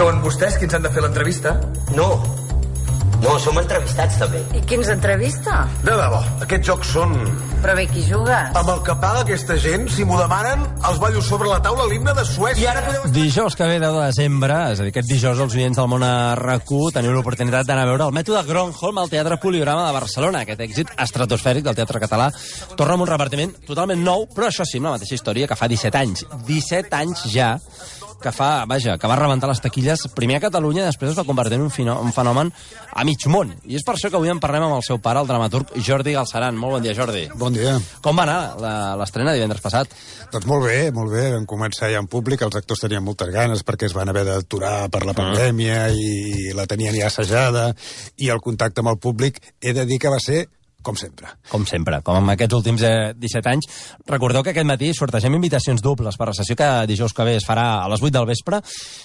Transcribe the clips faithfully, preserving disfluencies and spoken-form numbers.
Són vostès qui ens han de fer l'entrevista? No. No, som entrevistats, també. I qui ens entrevista? De debò, aquests jocs són... Però bé, qui juga? Amb el que paga aquesta gent, si m'ho demanen, els ballo sobre la taula l'himne de Suècia. I ara podeu... Dijous que ve, deu de desembre, és a dir, aquest dijous els oients del món a R A Q teniu l'oportunitat d'anar a veure el Mètode Gronholm al Teatre Poliorama de Barcelona. Aquest èxit estratosfèric del teatre català torna amb un repartiment totalment nou, però això sí, amb la mateixa història que fa disset anys. disset anys ja que fa, vaja, que va rebentar les taquilles primer a Catalunya i després es va convertir en un, fino, un fenomen a mig món. I és per això que avui en parlem amb el seu pare, el dramaturg Jordi Galceran. Molt bon dia, Jordi. Bon dia. Com va anar l'estrena divendres passat? Doncs molt bé, molt bé. Vam començar ja en públic, els actors tenien moltes ganes perquè es van haver d'aturar per la pandèmia mm. i la tenien ja assajada, i el contacte amb el públic he de dir que va ser com sempre. Com sempre, com en aquests últims eh, disset anys. Recordeu que aquest matí sortegem invitacions dobles per la sessió que dijous que ve es farà a les vuit del vespre,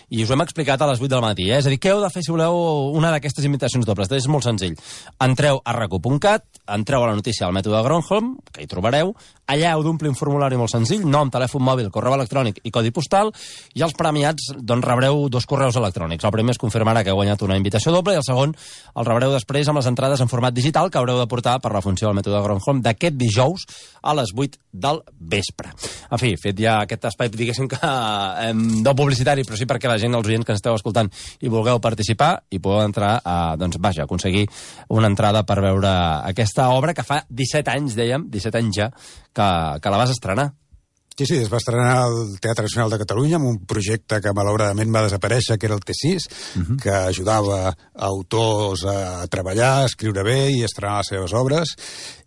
i us ho hem explicat a les vuit del matí. Eh? És a dir, què heu de fer si voleu una d'aquestes invitacions dobles? És molt senzill. Entreu a r a q punt cat, entreu a la notícia del Mètode Gronholm, que hi trobareu, allà heu d'omplir un formulari molt senzill, nom, telèfon mòbil, correu electrònic i codi postal, i els premiats doncs, rebreu dos correus electrònics. El primer es confirmarà que heu guanyat una invitació doble i el segon el rebreu després amb les entrades en format digital que haureu de portar per la funció del Mètode Gronholm d'aquest dijous a les vuit del vespre. En fi, fet ja aquest espai, diguéssim que eh, no publicitari, però sí perquè la gent, els oients que ens esteu escoltant i vulgueu participar i podeu entrar a, doncs, vaja, aconseguir una entrada per veure aquesta obra que fa disset anys, dèiem, disset anys ja, que, que la vas estrenar. Sí, sí, es va estrenar al Teatre Nacional de Catalunya amb un projecte que malauradament va desaparèixer, que era el T sis, uh-huh. que ajudava autors a treballar, a escriure bé i a estrenar les seves obres,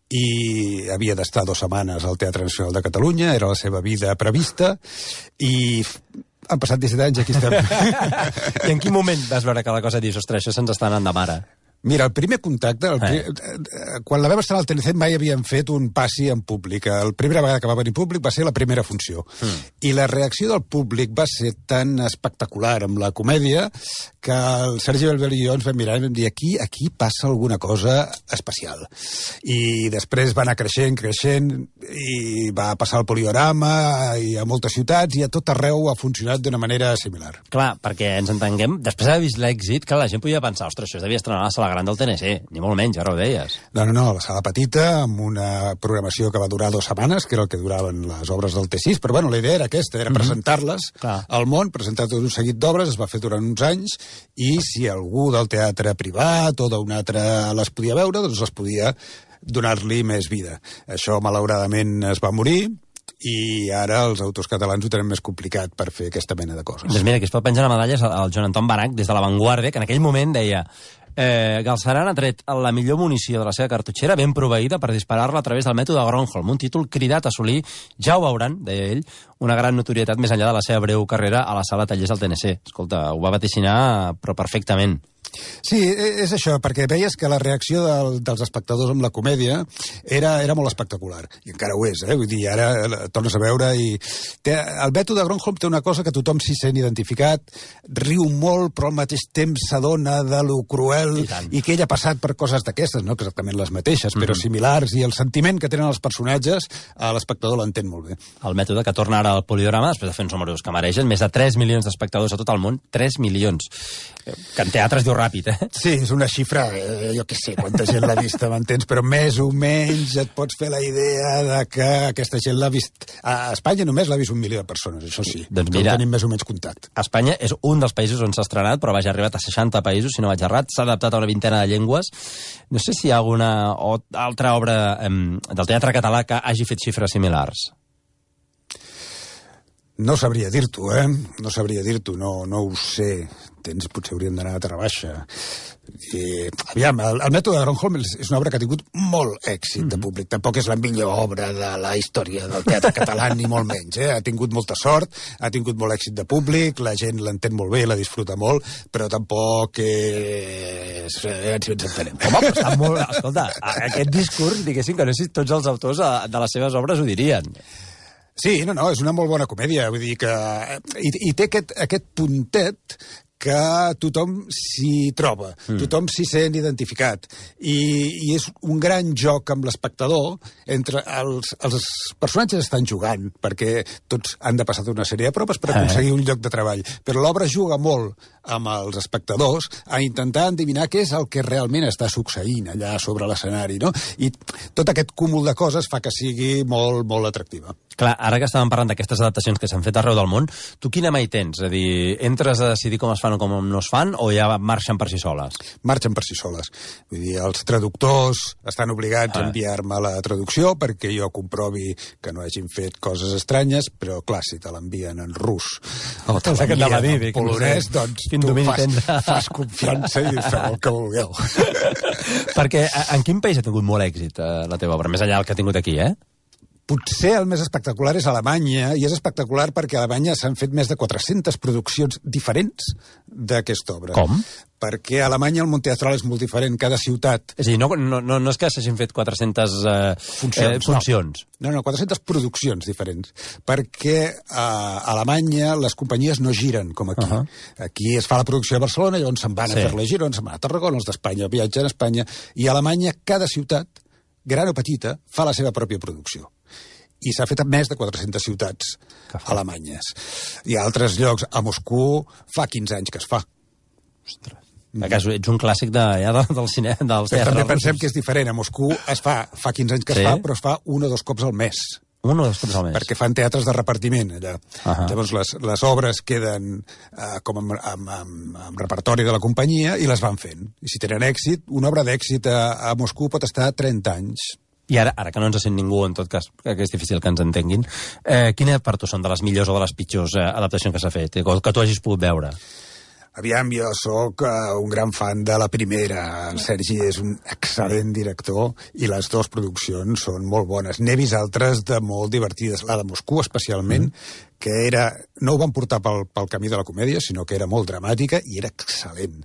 i havia d'estar dues setmanes al Teatre Nacional de Catalunya, era la seva vida prevista, i han passat disset anys, aquí estem. I en quin moment vas veure que la cosa dius, ostres, això se'ns està anant de mare? Mira, el primer contacte, el pri... eh. quan la vam estrenar al T N C mai havíem fet un passi en públic. La primera vegada que va venir públic va ser la primera funció. Mm. I la reacció del públic va ser tan espectacular amb la comèdia que el Sergi Belbel i jo ens vam mirar i vam dir aquí, aquí passa alguna cosa especial. I després va anar creixent, creixent, i va passar al Poliorama i a moltes ciutats, i a tot arreu ha funcionat d'una manera similar. Clar, perquè ens entenguem, després d'haver vist l'èxit, que la gent podia pensar, ostres, això es devia estrenar a la sala gran del T N C, ni molt menys, ara ho deies. No, no, no, la sala petita, amb una programació que va durar dues setmanes, que era el que duraven les obres del T sis, però bueno, la idea era aquesta, era mm-hmm. presentar-les Clar. al món, presentar tot un seguit d'obres, es va fer durant uns anys, i si algú del teatre privat o d'un altre les podia veure, doncs les podia donar-li més vida. Això, malauradament, es va morir, i ara els autors catalans ho tenen més complicat per fer aquesta mena de coses. Doncs mira, aquí es pot penjar la medalla al Joan Anton Banach des de La Vanguardia, que en aquell moment deia eh, Galceran ha tret la millor munició de la seva cartutxera ben proveïda per disparar-la a través del Mètode Gronholm, un títol cridat a assolir, ja ho veuran, deia ell, una gran notorietat més enllà de la seva breu carrera a la sala tallers del T N C. Escolta, ho va vaticinar, però perfectament. Sí, és això, perquè veies que la reacció del, dels espectadors amb la comèdia era, era molt espectacular, i encara ho és, eh? Vull dir, ara tornes a veure i... Té, el Mètode Gronholm té una cosa que tothom s'hi sent identificat, riu molt, però al mateix temps s'adona de lo cruel, i, i que ell ha passat per coses d'aquestes, no exactament les mateixes, mm-hmm. però similars, i el sentiment que tenen els personatges, l'espectador l'entén molt bé. El Mètode que torna ara al Poliorama, després de fer uns números que mereixen, més de tres milions d'espectadors a tot el món, tres milions, que en teatre es diu ràpid, eh? Sí, és una xifra, eh, jo què sé, quanta gent l'ha vist, m'entens, però més o menys et pots fer la idea de que aquesta gent l'ha vist... A Espanya només l'ha vist un milió de persones, això sí, doncs mira, tenim més o menys contacte. Espanya és un dels països on s'ha estrenat, però vaja, ha arribat a seixanta països, si no vaig errat, s'ha adaptat a una vintena de llengües. No sé si hi ha alguna o altra obra eh, del teatre català que hagi fet xifres similars. No sabria dir-t'ho, eh? No sabria dir-t'ho, no, no ho sé. Tens, potser hauríem d'anar a Terrabaixa. I, aviam, el, el Mètode Gronholm és una obra que ha tingut molt èxit mm-hmm. de públic. Tampoc és la millor obra de la història del teatre català, ni molt menys. Eh? Ha tingut molta sort, ha tingut molt èxit de públic, la gent l'entén molt bé, la disfruta molt, però tampoc és... Eh, si ens entenem. Home, però està molt... Escolta, aquest discurs, diguéssim que no sé si tots els autors de les seves obres ho dirien. Sí, no, no, és una molt bona comèdia, vull dir que... I, i té aquest, aquest puntet que tothom s'hi troba, mm. tothom s'hi sent identificat. I, I és un gran joc amb l'espectador entre els, els personatges estan jugant, perquè tots han de passar una sèrie de proves per aconseguir un lloc de treball. Però l'obra juga molt amb els espectadors a intentar endevinar què és el que realment està succeint allà sobre l'escenari, no? I tot aquest cúmul de coses fa que sigui molt, molt atractiva. Clar, ara que estàvem parlant d'aquestes adaptacions que s'han fet arreu del món, tu quina mà hi tens? És a dir, entres a decidir com es fan o com no es fan, o ja marxen per si soles? Marxen per si soles. Vull dir, els traductors estan obligats ah. a enviar-me la traducció perquè jo comprovi que no hagin fet coses estranyes, però clar, si te l'envien en rus o te l'envien en polonès, doncs tu fas, fas confiança i feu el que vulgueu. Perquè en quin país ha tingut molt èxit la teva obra? Més enllà del que ha tingut aquí, eh? Potser el més espectacular és Alemanya, i és espectacular perquè a Alemanya s'han fet més de quatre-centes produccions diferents d'aquesta obra. Com? Perquè a Alemanya el món teatral és molt diferent, cada ciutat... És a dir, no, no, no, no és que s'hagin fet quatre-centes eh, funcions. Eh, funcions. No, no, quatre-centes produccions diferents. Perquè a Alemanya les companyies no giren com aquí. Uh -huh. Aquí es fa la producció a Barcelona, llavors se'n van sí. a fer-la a Girona, se'n van a Tarragona, els d'Espanya viatgen a Espanya, i a Alemanya cada ciutat, gran o petita, fa la seva pròpia producció. I s'ha fet a més de quatre-centes ciutats alemanyes. Hi ha altres llocs. A Moscou fa quinze anys que es fa. Ostres. Mm. Ets un clàssic de, ja, del cine, dels teatres. També pensem que és diferent. A Moscou es fa, fa quinze anys que sí? es fa, però es fa un o dos cops al mes. Un o dos cops al mes. Perquè fan teatres de repartiment, allà. Uh -huh. Llavors, les, les obres queden uh, com amb, amb, amb, amb repertori de la companyia i les van fent. I si tenen èxit, una obra d'èxit a, a Moscou pot estar trenta anys. I ara, ara que no ens sent ningú, en tot cas, que és difícil que ens entenguin, eh, quines per tu són de les millors o de les pitjors eh, adaptacions que s'ha fet, que, que tu hagis pogut veure? Aviam, jo sóc uh, un gran fan de la primera. El Sergi és un excel·lent director i les dues produccions són molt bones. N'he vist altres de molt divertides. La de Moscou, especialment, mm. que era... no ho van portar pel, pel camí de la comèdia, sinó que era molt dramàtica i era excel·lent.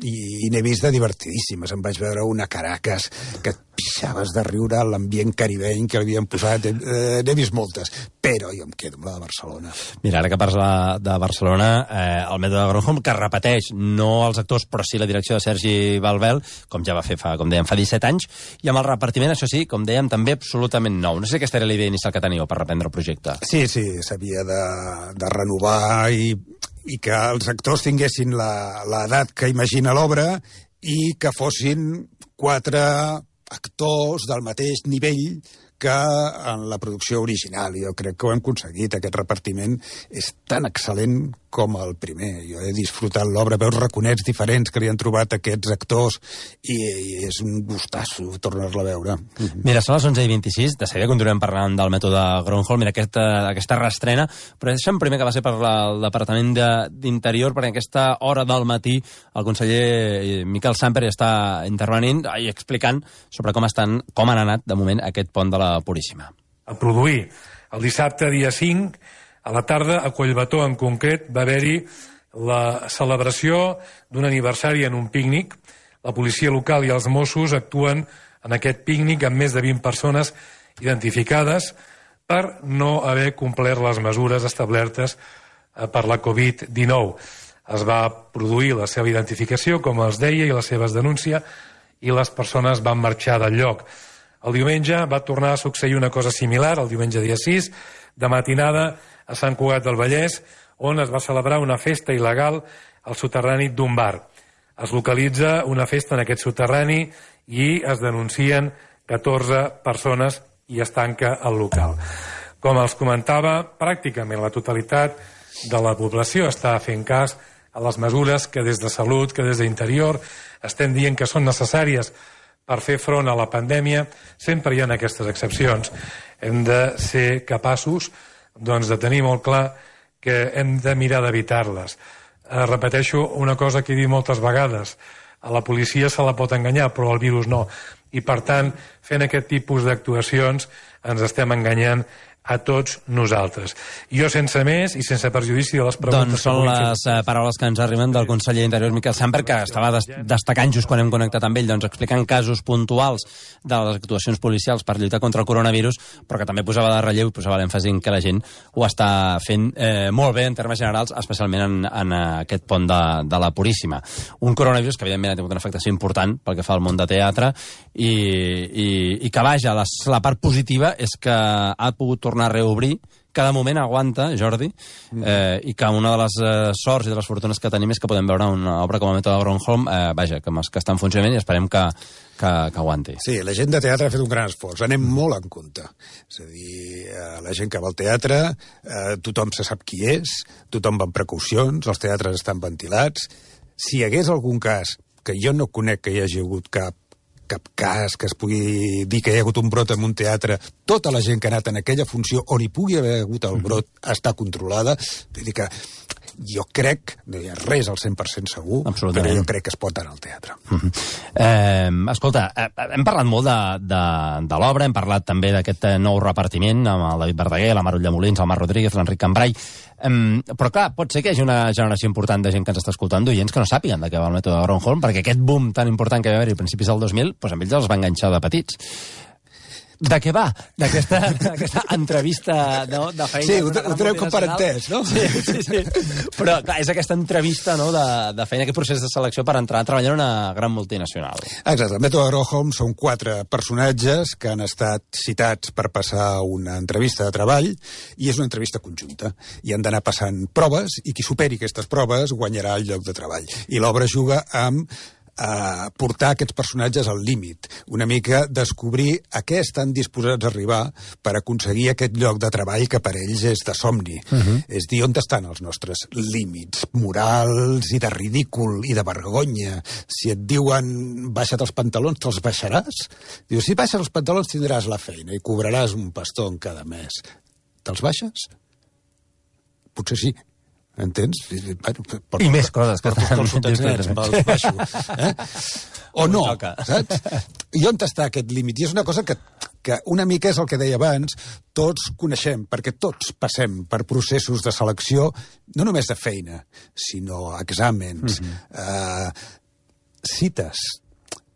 I, i n'he vist de divertidíssimes. Em vaig veure una Caracas que et pixaves de riure a l'ambient caribeny que l'havien posat. Eh, n'he vist moltes, però jo em quedo amb la de Barcelona. Mira, ara que parles de Barcelona, eh, el mètode de Gronholm, que repeteix, no els actors, però sí la direcció de Sergi Balbel, com ja va fer, fa, com dèiem, fa disset anys, i amb el repartiment, això sí, com dèiem, també absolutament nou. No sé si aquesta era la idea inicial que teníeu per reprendre el projecte. Sí, sí, s'havia de, de renovar i, i que els actors tinguessin l'edat que imagina l'obra i que fossin quatre actors del mateix nivell que en la producció original. Jo crec que ho hem aconseguit. Aquest repartiment és tan excel·lent com el primer. Jo he disfrutat l'obra, veus raconets diferents que li han trobat aquests actors i, i és un gustasso tornar-la a veure. Mm-hmm. Mira, són les onze i vint-i-sis, de seguida continuem parlant del mètode Gronholm, mira, aquesta, aquesta reestrena, però deixa'm primer que va ser per la, el Departament d'Interior, perquè aquesta hora del matí el conseller Miquel Samper està intervenint i explicant sobre com estan, com han anat, de moment, aquest pont de la Puríssima. A produir el dissabte, dia cinc, a la tarda, a Collbató en concret, va haver-hi la celebració d'un aniversari en un pícnic. La policia local i els Mossos actuen en aquest pícnic amb més de vint persones identificades per no haver complert les mesures establertes per la covid dinou. Es va produir la seva identificació, com els deia, i la seva denúncia, i les persones van marxar del lloc. El diumenge va tornar a succeir una cosa similar, el diumenge dia sis, de matinada a Sant Cugat del Vallès, on es va celebrar una festa il·legal al soterrani d'un bar. Es localitza una festa en aquest soterrani i es denuncien catorze persones i es tanca el local. Com els comentava, pràcticament la totalitat de la població està fent cas a les mesures que des de Salut, que des d'Interior, estem dient que són necessàries per fer front a la pandèmia. Sempre hi ha aquestes excepcions. Hem de ser capaços, doncs, de tenir molt clar que hem de mirar d'evitar-les. Eh, repeteixo una cosa que he dit moltes vegades. A la policia se la pot enganyar, però al virus no. I, per tant, fent aquest tipus d'actuacions ens estem enganyant a tots nosaltres. Jo, sense més i sense perjudici de les preguntes... Doncs són les uh, paraules que ens arriben del conseller d'Interior, Miquel Sambert, que estava des destacant just quan hem connectat amb ell, doncs explicant casos puntuals de les actuacions policials per lluitar contra el coronavirus, però que també posava de relleu i posava l'èmfasi en que la gent ho està fent eh, molt bé en termes generals, especialment en, en aquest pont de, de la Puríssima. Un coronavirus que, evidentment, ha tingut una afectació important pel que fa al món de teatre i, i, i que, vaja, la, la part positiva és que ha pogut tornar a reobrir, cada moment aguanta, Jordi, eh, i que una de les eh, sorts i de les fortunes que tenim és que podem veure una obra com el Mètode Gronholm, eh, vaja, que, que està en funcionament i esperem que, que, que aguanti. Sí, la gent de teatre ha fet un gran esforç, anem molt en compte. És a dir, eh, la gent que va al teatre, eh, tothom se sap qui és, tothom va amb precaucions, els teatres estan ventilats. Si hi hagués algun cas, que jo no conec que hi hagi hagut cap, cap cas que es pugui dir que hi ha hagut un brot en un teatre, tota la gent que ha anat en aquella funció on hi pugui haver hagut el brot està controlada. Vull dir que jo crec, no hi ha res al cent per cent segur, però jo crec que es pot anar al teatre. Uh-huh. eh, escolta, eh, hem parlat molt de, de, de l'obra, hem parlat també d'aquest nou repartiment amb el David Verdaguer, la Mar Ullamolins, el Marc Rodríguez, l'Enric Cambrai. Um, però clar, pot ser que hi hagi una generació important de gent que ens està escoltant, d'oients que no sàpiguen de què va el Mètode Gronholm, perquè aquest boom tan important que va haver-hi a principis del dos mil, doncs amb ells els va enganxar de petits. De què va? D'aquesta entrevista de, de feina... Sí, ho, ho treu com per entès, no? Sí, sí, sí. Però, clar, és aquesta entrevista, no?, de, de feina, aquest procés de selecció per entrar a treballar en una gran multinacional. Exacte. El Mètode Gronholm són quatre personatges que han estat citats per passar una entrevista de treball i és una entrevista conjunta. I han d'anar passant proves i qui superi aquestes proves guanyarà el lloc de treball. I l'obra juga amb a portar aquests personatges al límit, una mica descobrir a què estan disposats a arribar per aconseguir aquest lloc de treball que per ells és de somni. Uh-huh. És dir, on estan els nostres límits morals i de ridícul i de vergonya. Si et diuen baixa't els pantalons, te'ls baixaràs? Diu, si baixes els pantalons tindràs la feina i cobraràs un pastó en cada mes. Te'ls baixes? Potser sí. Entens? Bueno, porto, I més coses que porto els sotanets, me'ls baixo. Eh? O no, saps? I on està aquest límit? I és una cosa que, que una mica és el que deia abans, tots coneixem, perquè tots passem per processos de selecció, no només de feina, sinó exàmens, mm-hmm. eh, cites.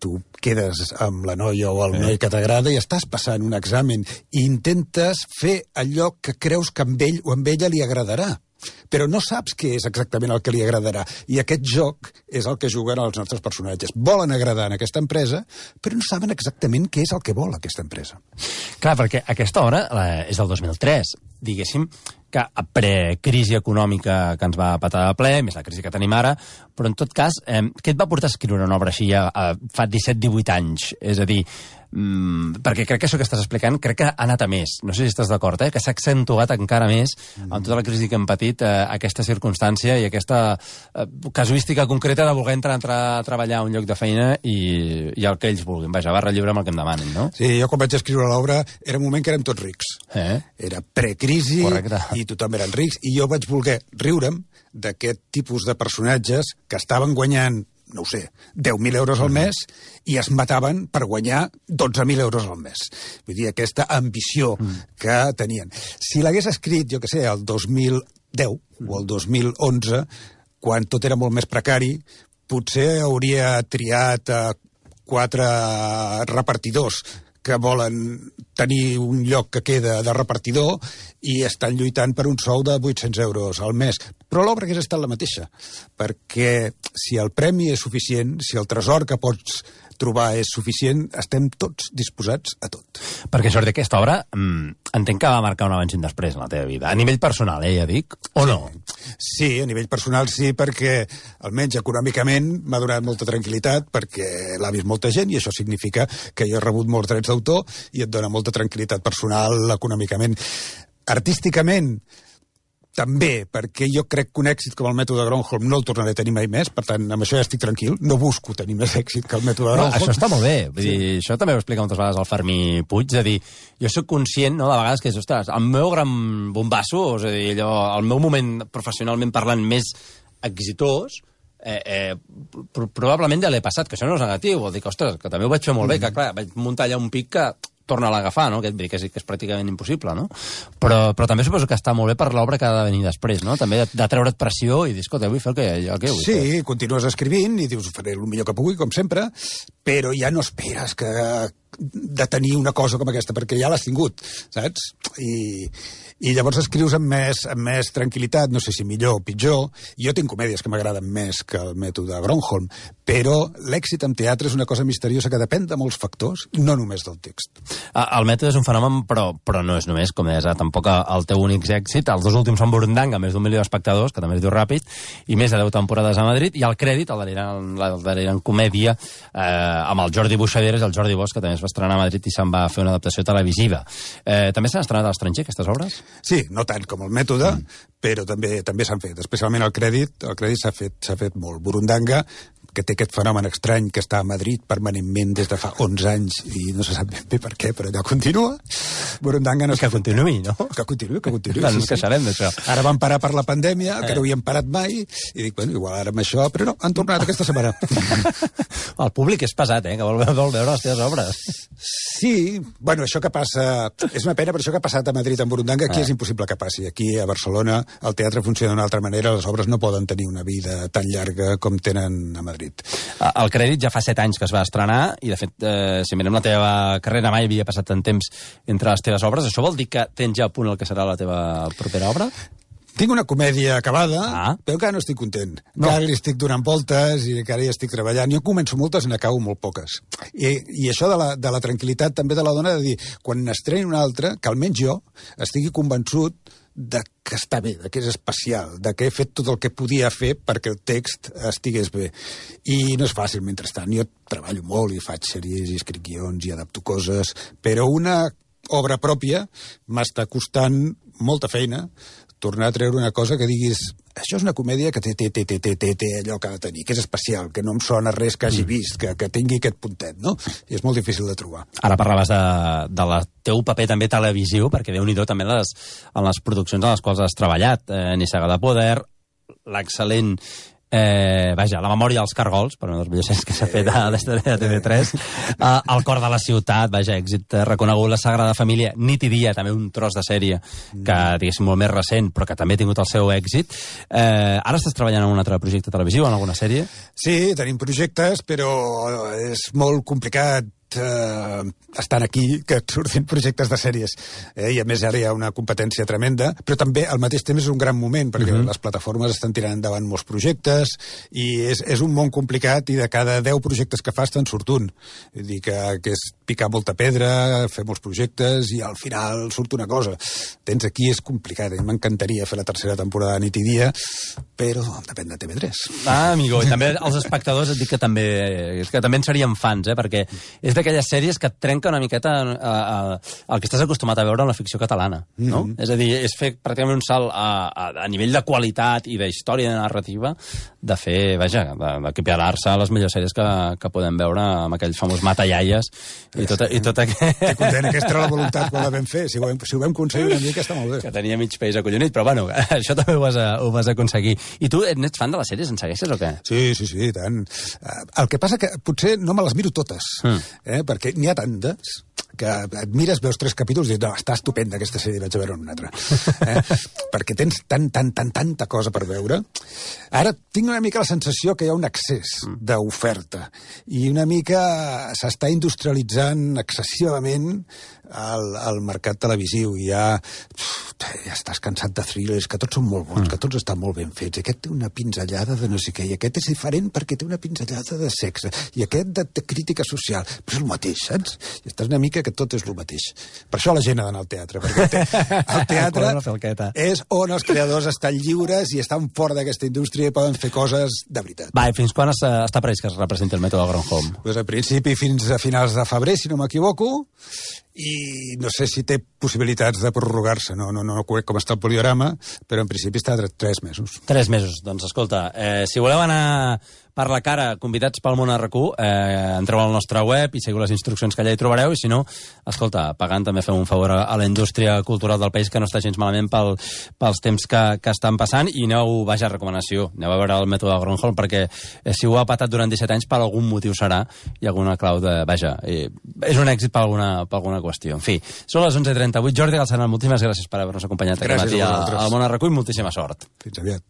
Tu quedes amb la noia o el noi que t'agrada i estàs passant un examen i intentes fer allò que creus que amb ell o amb ella li agradarà. Però no saps què és exactament el que li agradarà. I aquest joc és el que juguen els nostres personatges. Volen agradar en aquesta empresa, però no saben exactament què és el que vol aquesta empresa. Clar, perquè aquesta hora és del dos mil tres. Diguéssim que a precrisi econòmica que ens va patar de ple, més la crisi que tenim ara, però en tot cas, eh, què et va portar a escriure una obra així ja eh, fa disset divuit anys? És a dir, mm, perquè crec que això que estàs explicant crec que ha anat a més. No sé si estàs d'acord, eh? Que s'ha accentuat encara més mm. amb tota la crisi que hem patit eh, aquesta circumstància i aquesta eh, casuística concreta de voler entrar, entrar a treballar a un lloc de feina i, i el que ells vulguin. Vaja, barra lliure amb el que em demanin, no? Sí, jo quan vaig escriure l'obra era un moment que érem tots rics. Eh? Era precrisi i tothom eren rics i jo vaig voler riure'm d'aquest tipus de personatges que estaven guanyant, no ho sé, deu mil euros al mes i es mataven per guanyar dotze mil euros al mes. Vull dir, aquesta ambició que tenien. Si l'hagués escrit, jo que sé, el dos mil deu o el dos mil onze, quan tot era molt més precari, potser hauria triat a quatre repartidors que volen tenir un lloc que queda de repartidor i estan lluitant per un sou de vuit-cents euros al mes. Però l'obra hagués estat la mateixa, perquè si el premi és suficient, si el tresor que pots trobar és suficient, estem tots disposats a tot. Perquè, Jordi, aquesta obra mmm, entenc que va marcar un abans i un després en la teva vida. A nivell personal, eh, ja dic, o sí. no? Sí, a nivell personal sí, perquè almenys econòmicament m'ha donat molta tranquil·litat, perquè l'ha vist molta gent i això significa que jo he rebut molts drets d'autor i et dona molta tranquil·litat personal econòmicament. Artísticament, també, perquè jo crec que un èxit com el Mètode Gronholm no el tornaré a tenir mai més, per tant, amb això ja estic tranquil, no busco tenir més èxit que el Mètode Gronholm. No, això està molt bé, vull dir, sí. Això també ho explica moltes vegades el Fermí Puig, és a dir, jo sóc conscient, no, de vegades que és, ostres, el meu gran bombasso, és a dir, allò, el meu moment professionalment parlant més exitós, eh, eh, probablement ja l'he passat, que això no és negatiu, vol dir que, ostres, que també ho vaig fer molt mm. bé, que clar, vaig muntar allà un pic que torna-la a agafar, no? Que, que, és, que és pràcticament impossible, no? Però, però també suposo que està molt bé per l'obra que ha de venir després, no? També de, de treure't pressió i dir, escolta, vull fer el que, el que vull Sí, fer. continues escrivint i dius, faré el millor que pugui, com sempre, però ja no esperes que de tenir una cosa com aquesta, perquè ja l'has tingut, saps? I, i llavors escrius amb més, amb més tranquil·litat, no sé si millor o pitjor. Jo tinc comèdies que m'agraden més que el mètode Gronholm, però l'èxit en teatre és una cosa misteriosa que depèn de molts factors, no només del text. El mètode és un fenomen, però, però no és només, com deies, tampoc el teu únic èxit. Els dos últims són Burundanga, més d'un milió d'espectadors, que també es diu ràpid, i més de deu temporades a Madrid, i el crèdit, el darrere, el darrere en comèdia, eh, amb el Jordi Buixaderes, el Jordi Bosch, que també es va estrenar a Madrid i se'n va fer una adaptació televisiva. Eh, també s'han estrenat a l'estranger, aquestes obres? Sí, no tant com el mètode, mm. però també també s'han fet, especialment el crèdit, el crèdit s'ha fet, s'ha fet molt. Burundanga, que té aquest fenomen estrany que està a Madrid permanentment des de fa onze anys i no se sap ben bé per què, però allò continua. Burundanga no que continuï, no? Que continuï, que continuï. No, sí, ens queixarem d'això. Ara van parar per la pandèmia, eh. que no havien parat mai, i dic, bueno, igual ara amb això, però no, han tornat aquesta setmana. El públic és pesat, eh, que vol, vol veure les teves obres. Sí, bueno, això que passa... És una pena, però això que ha passat a Madrid amb Burundanga, aquí eh. és impossible que passi. Aquí, a Barcelona, el teatre funciona d'una altra manera, les obres no poden tenir una vida tan llarga com tenen a Madrid. El crèdit ja fa set anys que es va estrenar i, de fet, eh, si mirem la teva carrera, mai havia passat tant temps entre les teves obres. Això vol dir que tens ja a punt el que serà la teva propera obra? Tinc una comèdia acabada, ah. però encara no estic content. No. Encara li estic donant voltes i encara hi estic treballant. Jo començo moltes i n'acabo molt poques. I, i això de la, de la tranquil·litat també de la dona de dir, quan n'estreni una altra, que almenys jo estigui convençut de que està bé, de que és especial, de que he fet tot el que podia fer perquè el text estigués bé. I no és fàcil, mentrestant. Jo treballo molt i faig sèries i escric guions i adapto coses, però una obra pròpia m'està costant molta feina tornar a treure una cosa que diguis això és una comèdia que té, té, té, té, té, té, té allò que ha de tenir, que és especial, que no em sona res que hagi vist, que, que tingui aquest puntet, no? I és molt difícil de trobar. Ara parlaves de, de la teu paper també televisiu, perquè Déu-n'hi-do també les, en les produccions en les quals has treballat. Eh, Nissaga de Poder, l'excel·lent Eh, vaja, La memòria dels cargols, per una de les millors sèries que s'ha fet a l'història de T V tres, eh, El cor de la ciutat, vaja, èxit reconegut, La Sagrada Família, Nit i dia, també un tros de sèrie que, diguéssim, molt més recent, però que també ha tingut el seu èxit. Eh, ara estàs treballant en un altre projecte televisiu, en alguna sèrie? Sí, tenim projectes, però és molt complicat eh, estan aquí que et surtin projectes de sèries, eh? I a més ara hi ha una competència tremenda, però també al mateix temps és un gran moment perquè uh-huh. les plataformes estan tirant endavant molts projectes i és, és un món complicat i de cada deu projectes que fas te'n surt un. Vull dir que, que és picar molta pedra, fer molts projectes i al final surt una cosa. Tens aquí, és complicat, i m'encantaria fer la tercera temporada de Nit i dia, però depèn de T V tres. Ah, amigo, i també els espectadors et dic que també, és que també en serien fans, eh? Perquè és d'aquelles sèries que et trenca una miqueta a, a, a, el que estàs acostumat a veure en la ficció catalana, no? Mm-hmm. És a dir, és fer pràcticament un salt a, a, a nivell de qualitat i d'història i de narrativa de fer, vaja, d'equiparar-se a les millors sèries que, que podem veure amb aquell famós Matallaies i tot, i tot aquest... Que content, aquesta era la voluntat quan la vam fer. Si ho vam, si ho vam aconseguir una mica, està molt bé. Que tenia mig país acollonit, però bueno, això també ho vas, a, ho vas aconseguir. I tu ets fan de les sèries? En segueixes o què? Sí, sí, sí, tant. El que passa que potser no me les miro totes, mm. eh, perquè n'hi ha tantes que et mires, veus tres capítols i dius, no, està estupenda aquesta sèrie, vaig a veure una altra. Eh? Perquè tens tant, tant, tant, tanta cosa per veure. Ara tinc una mica la sensació que hi ha un excés d'oferta i una mica s'està industrialitzant excessivament el, el mercat televisiu. Ja, ja estàs cansat de thrillers, que tots són molt bons, que tots estan molt ben fets. Aquest té una pinzellada de no sé què, i aquest és diferent perquè té una pinzellada de sexe, i aquest de, de crítica social. Però és el mateix, saps? I estàs una mica que tot és el mateix. Per això la gent ha d'anar al teatre, perquè el, te el teatre és on els creadors estan lliures i estan fora d'aquesta indústria i poden fer coses de veritat. Va, i fins quan està, està previst que es representi el mètode Gronholm? Pues a principi fins a finals de febrer, si no m'equivoco, i no sé si té possibilitats de prorrogar-se, no, no, no conec com està el poliorama, però en principi està de tres mesos. Tres mesos, doncs escolta, eh, si voleu anar per la cara, convidats pel Món R Q, eh, entreu al nostre web i seguiu les instruccions que allà hi trobareu, i si no, escolta, pagant també fem un favor a, a la indústria cultural del país, que no està gens malament pel, pels temps que, que estan passant, i aneu, vaja, recomanació, aneu a veure el mètode Gronholm, perquè eh, si ho ha patat durant disset anys, per algun motiu serà, i alguna clau de, vaja, eh, és un èxit per alguna, per alguna cosa. qüestió. En fi, són les onze i trenta-vuit. Jordi Galceran, moltíssimes gràcies per haver-nos acompanyat aquest matí al Món a Recull. Moltíssima sort. Fins aviat.